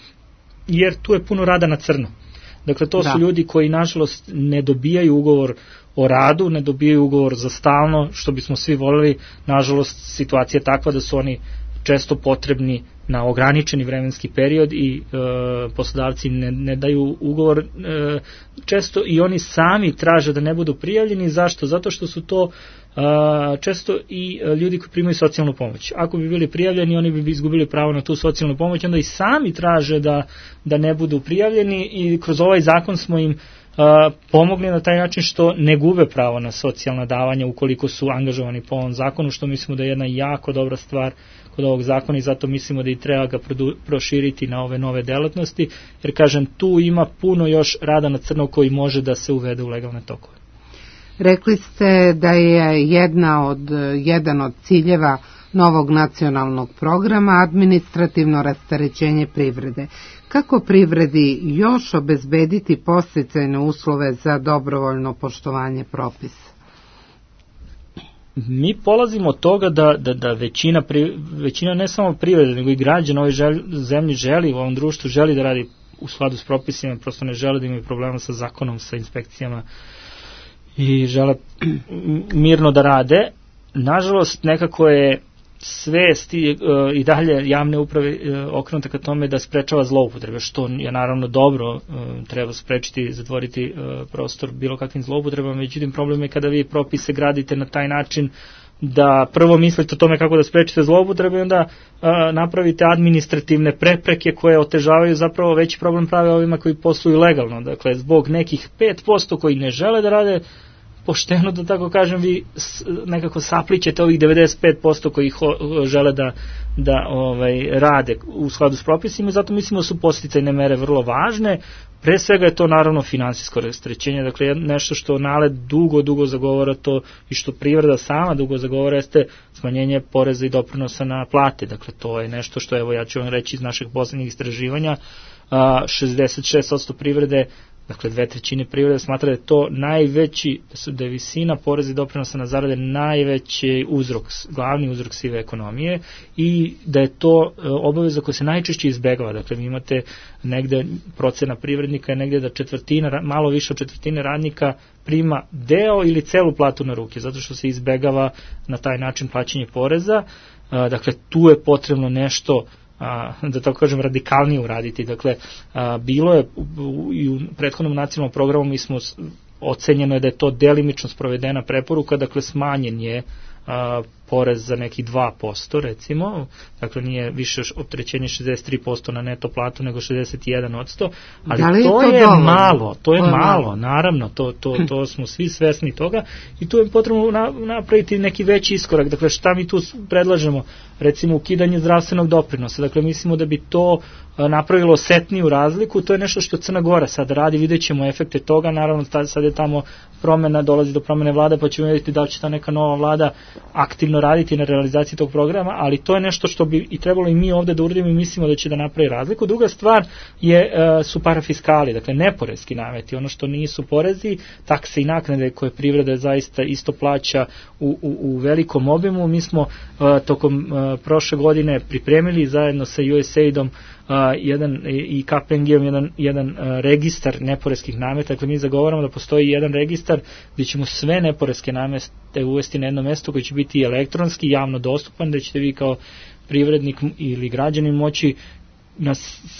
jer tu je puno rada na crno. Dakle, to da. su ljudi koji nažalost ne dobijaju ugovor o radu, ne dobijaju ugovor za stalno, što bismo svi voljeli. Nažalost, situacija je takva da su oni često potrebni na ograničeni vremenski period i e, poslodavci ne, ne daju ugovor, e, često i oni sami traže da ne budu prijavljeni. Zašto? Zato što su to e, često i ljudi koji primaju socijalnu pomoć. Ako bi bili prijavljeni, oni bi izgubili pravo na tu socijalnu pomoć, onda i sami traže da, da ne budu prijavljeni i kroz ovaj zakon smo im Uh, pomogli na taj način što ne gube pravo na socijalna davanja ukoliko su angažovani po ovom zakonu, što mislimo da je jedna jako dobra stvar kod ovog zakona i zato mislimo da i treba ga produ, proširiti na ove nove delatnosti, jer kažem, tu ima puno još rada na crno koji može da se uvede u legalne tokove. Rekli ste da je jedna od, jedan od ciljeva novog nacionalnog programa administrativno rasterećenje privrede. Kako privredi još obezbediti podsticajne uslove za dobrovoljno poštovanje propisa? Mi polazimo od toga da, da, da većina, većina ne samo privrede, nego i građana ove želj, zemlji želi, u ovom društvu želi da radi u skladu s propisima, prosto ne žele da imaju problema sa zakonom, sa inspekcijama i žele mirno da rade. Nažalost, nekako je svest i, uh, i dalje javne uprave uh, okrenuta ka tome da sprečava zloupotrebe, što je naravno dobro, uh, treba sprečiti i zatvoriti uh, prostor bilo kakvim zloupotrebama, međutim problem je kada vi propise gradite na taj način da prvo mislite o tome kako da sprečite zloupotrebe i onda uh, napravite administrativne prepreke koje otežavaju zapravo veći problem prave ovima koji posluju legalno. Dakle, zbog nekih pet posto koji ne žele da rade pošteno, da tako kažem, vi nekako saplićete ovih devedeset pet posto koji ho, žele da, da ovaj, rade u skladu s propisima i zato mislimo da su podsticajne mere vrlo važne. Pre svega je to naravno finansijsko rasterećenje, dakle nešto što NALED dugo, dugo zagovara to i što privreda sama dugo zagovara jeste smanjenje poreza i doprinosa na plate, dakle to je nešto što, evo ja ću vam reći iz našeg poslednjih istraživanja, šezdeset šest posto privrede dakle dve trećine privrede smatra da je to najveći, da su da je visina poreza i doprinosa na zarade najveći uzrok, glavni uzrok sive ekonomije i da je to obaveza koja se najčešće izbegava. Dakle, vi imate negde procena privrednika je negde da četvrtina, malo više od četvrtine radnika prima deo ili celu platu na ruke, zato što se izbegava na taj način plaćanje poreza. Dakle, tu je potrebno nešto, da tako kažem, radikalnije uraditi. Dakle, bilo je i u prethodnom nacionalnom programu mi smo ocenjeno je da je to delimično sprovedena preporuka, dakle smanjen je a, porez za neki dva posto recimo, dakle nije više opterećenje šezdeset tri posto na neto platu nego šezdeset jedan posto, ali da to, to je dovoljno? malo, to je to malo, malo, naravno, to, to, to smo svi svesni toga i tu je potrebno na, napraviti neki veći iskorak. Dakle, šta mi tu predlažemo? Recimo ukidanje zdravstvenog doprinosa, dakle mislimo da bi to napravilo osetniju razliku, to je nešto što Crna Gora sad radi, vidjet ćemo efekte toga, naravno sad je tamo promena, dolazi do promene vlade, pa ćemo vidjeti da li će ta neka nova vlada aktivno raditi na realizaciji tog programa, ali to je nešto što bi i trebalo i mi ovde da uradimo i mislimo da će da napravi razliku. Druga stvar je, su parafiskali, dakle neporeski nameti, ono što nisu porezi, takse i naknade koje privreda zaista isto plaća u, u, u velikom obimu. Mi smo uh, tokom uh, prošle godine pripremili zajedno sa U S A I D-om Uh, jedan, i K P M G-om jedan, jedan uh, registar neporeskih nameta. Dakle, mi zagovaramo da postoji jedan registar gdje ćemo sve neporeske namete uvesti na jedno mesto koji će biti elektronski, javno dostupan, da ćete vi kao privrednik ili građanin moći na,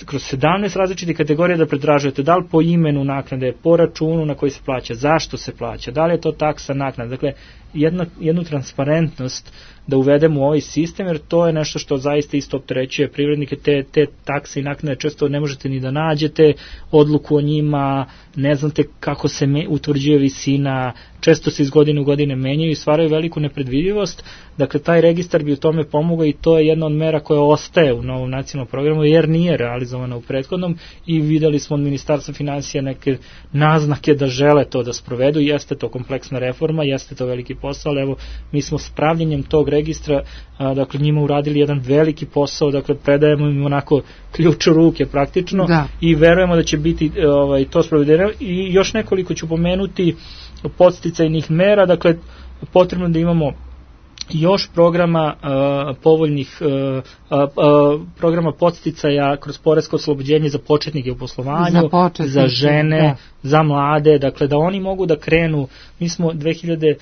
kroz sedamnaest različitih kategorija da pretražujete da li po imenu naknade, po računu na koji se plaća, zašto se plaća, da li je to taksa, naknada. Dakle, jedna, jednu transparentnost da uvedemo u ovaj sistem, jer to je nešto što zaista isto opterećuje privrednike, te, te takse i naknade često ne možete ni da nađete odluku o njima, ne znate kako se me, utvrđuje visina, često se iz godine u godine menjaju i stvaraju veliku nepredvidivost. Dakle, taj registar bi u tome pomogao i to je jedna od mera koja ostaje u novom nacionalnom programu, jer nije realizovana u prethodnom i videli smo od Ministarstva finansija neke naznake da žele to da sprovedu. Jeste to kompleksna reforma, jeste to veliki posao, ali evo, mi smo s pravljenjem tog registra, a, dakle, njima uradili jedan veliki posao, dakle, predajemo im onako ključ u ruke praktično da. I verujemo da će biti ovaj, to sprovedeno. I još nekoliko ću pomenuti podsticajnih mera, dakle, potrebno da imamo još programa uh, povoljnih uh, uh, uh, programa podsticaja kroz poresko oslobođenje za početnike u poslovanju, za, početnike, za žene, da. Za mlade, dakle da oni mogu da krenu. Mi smo dve hiljade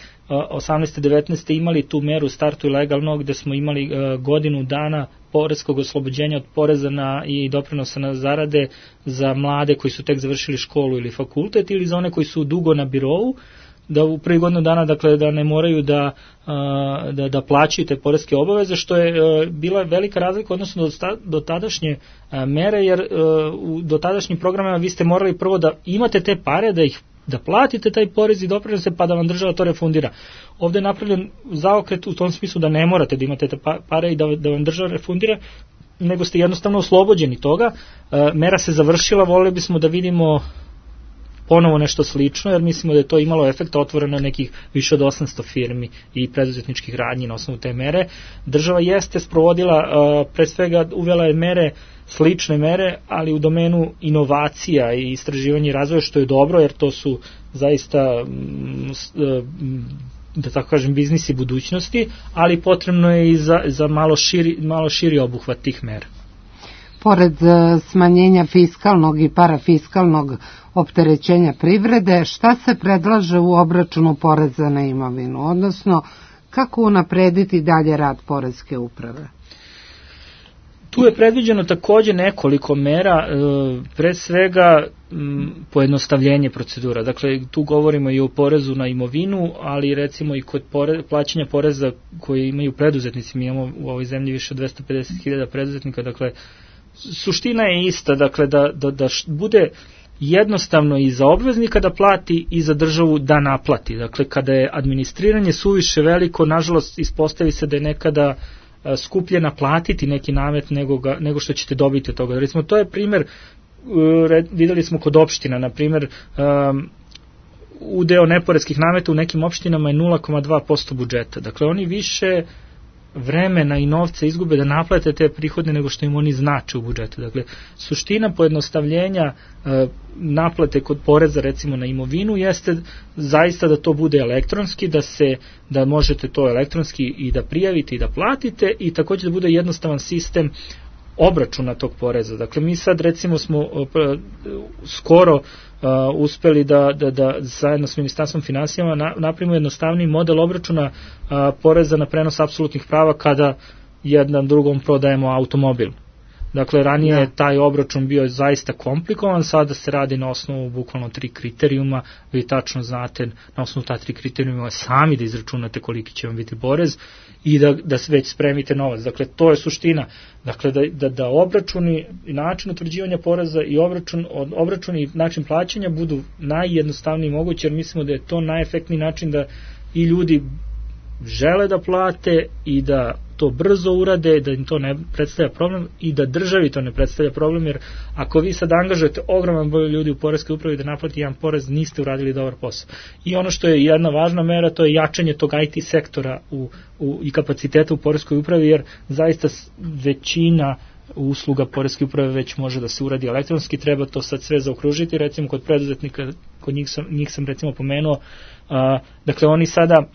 osamnaeste devetnaeste imali tu meru Startuj legalno, gde smo imali uh, godinu dana poreskog oslobođenja od poreza na i doprinosa na zarade za mlade koji su tek završili školu ili fakultet ili za one koji su dugo na birovu, da u prvi godinu dana, dakle, da ne moraju da, da, da plaćaju te poreske obaveze, što je bila velika razlika odnosno do, do tadašnje mere, jer u dotadašnjim programima vi ste morali prvo da imate te pare, da ih da platite taj porez i doprinose, pa da vam država to refundira. Ovde je napravljen zaokret u tom smislu da ne morate da imate te pare i da, da vam država refundira, nego ste jednostavno oslobođeni toga. Mera se završila, voleli bismo da vidimo ponovo nešto slično, jer mislimo da je to imalo efekta, otvoreno nekih više od osamsto firmi i preduzetničkih radnji na osnovu te mere. Država jeste sprovodila, pre svega uvela je mere, slične mere, ali u domenu inovacija i istraživanja i razvoja, što je dobro, jer to su zaista, da tako kažem, biznisi budućnosti, ali potrebno je i za, za malo, širi, malo širi obuhvat tih mera. Pored smanjenja fiskalnog i parafiskalnog opterećenja privrede, šta se predlaže u obračunu poreza na imovinu, odnosno kako unaprediti dalje rad poreske uprave? Tu je predviđeno takođe nekoliko mera, pre svega pojednostavljenje procedura. Dakle, tu govorimo i o porezu na imovinu, ali recimo i kod pore, plaćanja poreza koje imaju preduzetnici. Mi imamo u ovoj zemlji više od dvesta pedeset hiljada preduzetnika, dakle, suština je ista, dakle, da, da, da bude jednostavno i za obveznika da plati i za državu da naplati. Dakle, kada je administriranje suviše veliko, nažalost, ispostavi se da je nekada skuplje naplatiti neki namet nego, ga, nego što ćete dobiti od toga. Recimo, to je primer, videli smo kod opština, na primer, um, udeo neporeskih nameta u nekim opštinama je nula zarez dva posto budžeta. Dakle, oni više vremena i novca izgube da naplate te prihode nego što im oni znače u budžetu. Dakle, suština pojednostavljenja e, naplate kod poreza recimo na imovinu jeste zaista da to bude elektronski, da se da možete to elektronski i da prijavite i da platite i takođe da bude jednostavan sistem obračuna tog poreza. Dakle, mi sad recimo smo uh, skoro uh, uspeli da, da, da zajedno s Ministarstvom finansijama na, napravimo jednostavniji model obračuna uh, poreza na prenos apsolutnih prava kada jednom drugom prodajemo automobil. Dakle, ranije je taj obračun bio zaista komplikovan, sada se radi na osnovu bukvalno tri kriterijuma, vi tačno znate na osnovu ta tri kriterijuma sami da izračunate koliki će vam biti porez i da, da već spremite novac. Dakle, to je suština. Dakle, da, da, da obračuni i način utvrđivanja poreza i obračun, obračun i način plaćanja budu najjednostavniji mogući, jer mislimo da je to najefektniji način da i ljudi žele da plate i da to brzo urade, da im to ne predstavlja problem i da državi to ne predstavlja problem, jer ako vi sad angažujete ogroman broj ljudi u poreskoj upravi da naplati jedan porez, niste uradili dobar posao. I ono što je jedna važna mera, to je jačanje tog I T sektora u, u, i kapaciteta u poreskoj upravi, jer zaista većina usluga poreske uprave već može da se uradi elektronski, treba to sad sve zaokružiti, recimo kod preduzetnika, kod njih sam, njih sam recimo pomenuo, a, dakle oni sada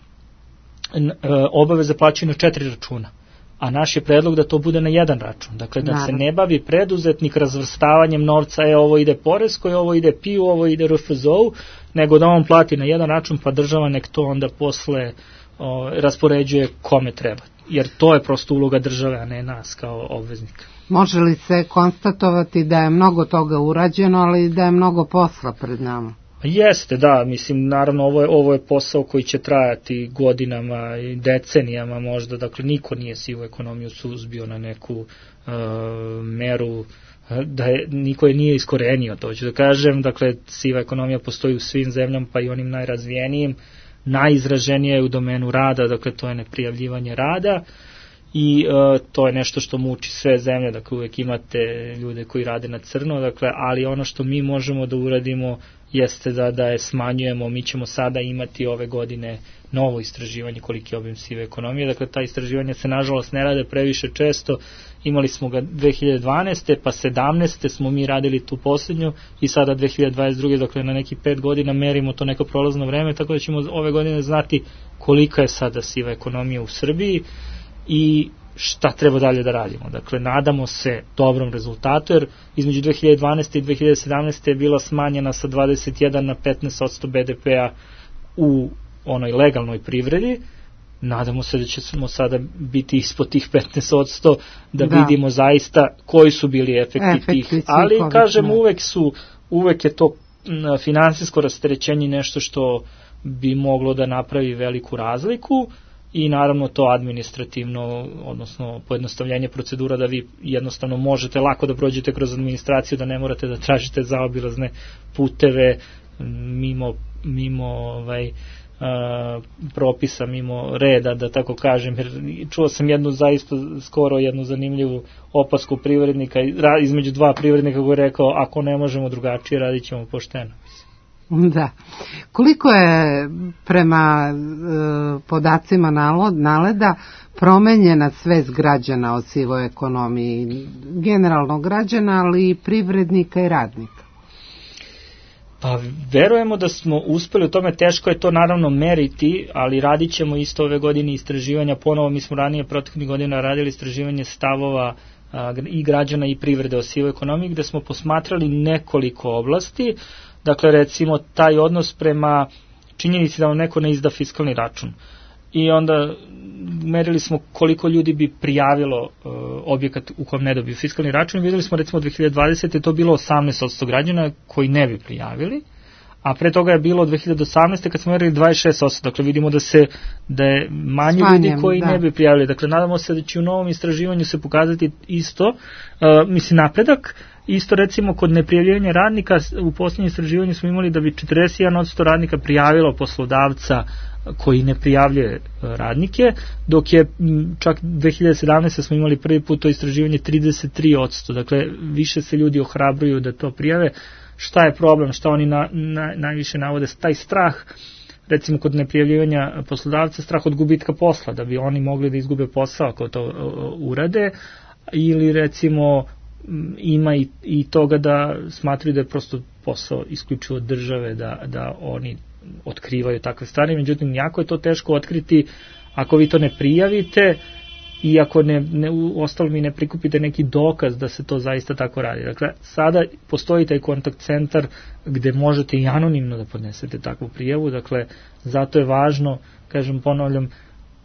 obaveze plaćaju na četiri računa, a naš je predlog da to bude na jedan račun. Dakle, da se ne bavi preduzetnik razvrstavanjem novca, e, ovo ide poreskoj, ovo ide P I U, ovo ide R F Z O, nego da on plati na jedan račun, pa država nek to onda posle o, raspoređuje kome treba. Jer to je prosto uloga države, a ne nas kao obveznika. Može li se konstatovati da je mnogo toga urađeno, ali da je mnogo posla pred nama? Jeste, da, mislim, naravno ovo je, ovo je posao koji će trajati godinama i decenijama možda, dakle niko nije sivu ekonomiju suzbio na neku uh, meru, da je, niko je nije iskorenio, to ću da kažem, dakle siva ekonomija postoji u svim zemljama, pa i onim najrazvijenijim, najizraženije je u domenu rada, dakle to je neprijavljivanje rada i uh, to je nešto što muči sve zemlje, dakle uvek imate ljude koji rade na crno, dakle, ali ono što mi možemo da uradimo jeste da, da je smanjujemo. Mi ćemo sada imati ove godine novo istraživanje koliki je obim sive ekonomije, dakle ta istraživanja se nažalost ne rade previše često, imali smo ga dve hiljade dvanaeste pa sedamnaeste smo mi radili tu posljednju i sada dve hiljade dvadeset druge dakle na neki pet godina merimo to neko prolazno vreme, tako da ćemo ove godine znati kolika je sada siva ekonomija u Srbiji i šta treba dalje da radimo. Dakle, nadamo se dobrom rezultatu, jer između dve hiljade dvanaeste i dve hiljade sedamnaeste je bila smanjena sa dvadeset jedan na petnaest posto B D P-a u onoj legalnoj privredi. Nadamo se da ćemo sada biti ispod tih petnaest posto da, da vidimo zaista koji su bili efekti, efekti tih. Ali, kažem, uvek su, uvek je to finansijsko rasterećenje nešto što bi moglo da napravi veliku razliku. I naravno to administrativno, odnosno pojednostavljenje procedura da vi jednostavno možete lako da prođete kroz administraciju, da ne morate da tražite zaobilazne puteve mimo, mimo ovaj, a, propisa, mimo reda, da tako kažem. Jer čuo sam jednu zaista skoro jednu zanimljivu opasku privrednika, između dva privrednika koji je rekao ako ne možemo drugačije radit ćemo pošteno. Da. Koliko je prema e, podacima NALED-a promenjena svest građana o sivoj ekonomiji, generalno građana, ali i privrednika i radnika? Pa verujemo da smo uspeli u tome, teško je to naravno meriti, ali radit ćemo isto ove godine istraživanja, ponovo mi smo ranije proteklih godina radili istraživanje stavova a, i građana i privrede o sivoj ekonomiji, gde smo posmatrali nekoliko oblasti. Dakle, recimo, taj odnos prema činjenici da vam neko ne izda fiskalni račun. I onda merili smo koliko ljudi bi prijavilo uh, objekat u kojem ne dobiju fiskalni račun. Videli smo, recimo, dve hiljade dvadesete to bilo osamnaest posto građana koji ne bi prijavili, a pre toga je bilo dve hiljade osamnaeste kad smo merili dvadeset šest posto. Dakle, vidimo da se da je manje Smanjem, ljudi koji da. ne bi prijavili. Dakle, nadamo se da će u novom istraživanju se pokazati isto, uh, mislim, napredak. Isto recimo kod neprijavljivanja radnika, u posljednjem istraživanju smo imali da bi četrdeset jedan posto radnika prijavilo poslodavca koji ne prijavljuje radnike, dok je čak dve hiljade sedamnaeste smo imali prvi put to istraživanje trideset tri posto. Dakle, više se ljudi ohrabruju da to prijave. Šta je problem, šta oni na, na, najviše navode? Taj strah recimo kod neprijavljivanja poslodavca strah od gubitka posla, da bi oni mogli da izgube posao ako to urade, ili recimo ima i, i toga da smatraju da je prosto posao isključivo od države, da, da oni otkrivaju takve stvari, međutim jako je to teško otkriti ako vi to ne prijavite i ako ne, ne, u ostalom i ne prikupite neki dokaz da se to zaista tako radi. Dakle, sada postoji taj kontakt centar gde možete i anonimno da podnesete takvu prijavu, dakle, zato je važno, kažem, ponavljam,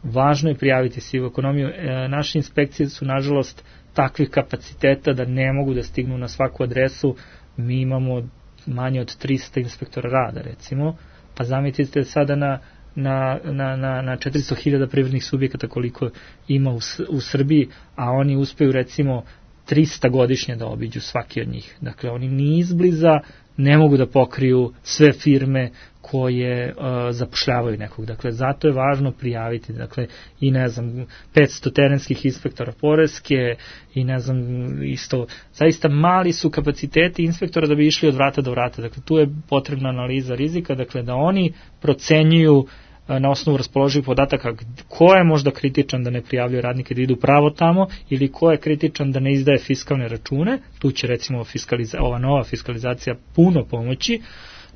važno je prijaviti sivu ekonomiju. E, naše inspekcije su, nažalost, takvih kapaciteta da ne mogu da stignu na svaku adresu. Mi imamo manje od trista inspektora rada, recimo, pa zamislite sada na na, na, na, na četiristo hiljada privrednih subjekata koliko ima u, u Srbiji, a oni uspeju recimo trista godišnje da obiđu svaki od njih. Dakle, oni ni izbliza ne mogu da pokriju sve firme koje uh, zapošljavaju nekog. Dakle, zato je važno prijaviti. Dakle, i ne znam, petsto terenskih inspektora poreske i ne znam, isto, zaista mali su kapaciteti inspektora da bi išli od vrata do vrata. Dakle, tu je potrebna analiza rizika, dakle, da oni procenjuju na osnovu raspoloživih podataka ko je možda kritičan da ne prijavljuje radnike da idu pravo tamo ili ko je kritičan da ne izdaje fiskalne račune. Tu će recimo fiskaliza, ova nova fiskalizacija puno pomoći.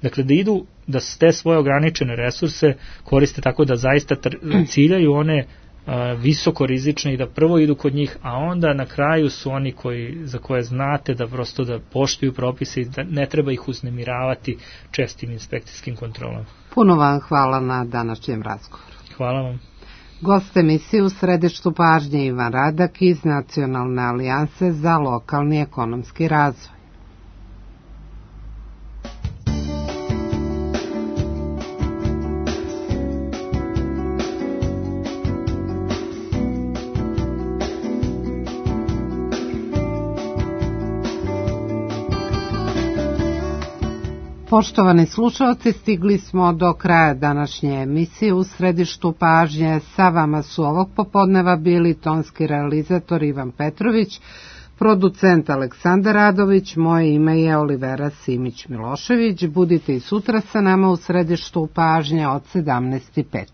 Dakle, da idu, da te svoje ograničene resurse koriste tako da zaista ciljaju one uh, visoko rizične i da prvo idu kod njih, a onda na kraju su oni koji, za koje znate da prosto da poštuju propise i da ne treba ih uznemiravati čestim inspekcijskim kontrolama. Puno vam hvala na današnjem razgovoru. Hvala vam. Gost emisije u središtu pažnje Ivan Radak iz Nacionalne alijanse za lokalni ekonomski razvoj. Poštovani slušalci, stigli smo do kraja današnje emisije u središtu pažnje. Sa vama su ovog popodneva bili tonski realizator Ivan Petrović, producent Aleksandar Radović, moje ime je Olivera Simić-Milošević. Budite i sutra sa nama u središtu pažnje od sedamnaest i pet.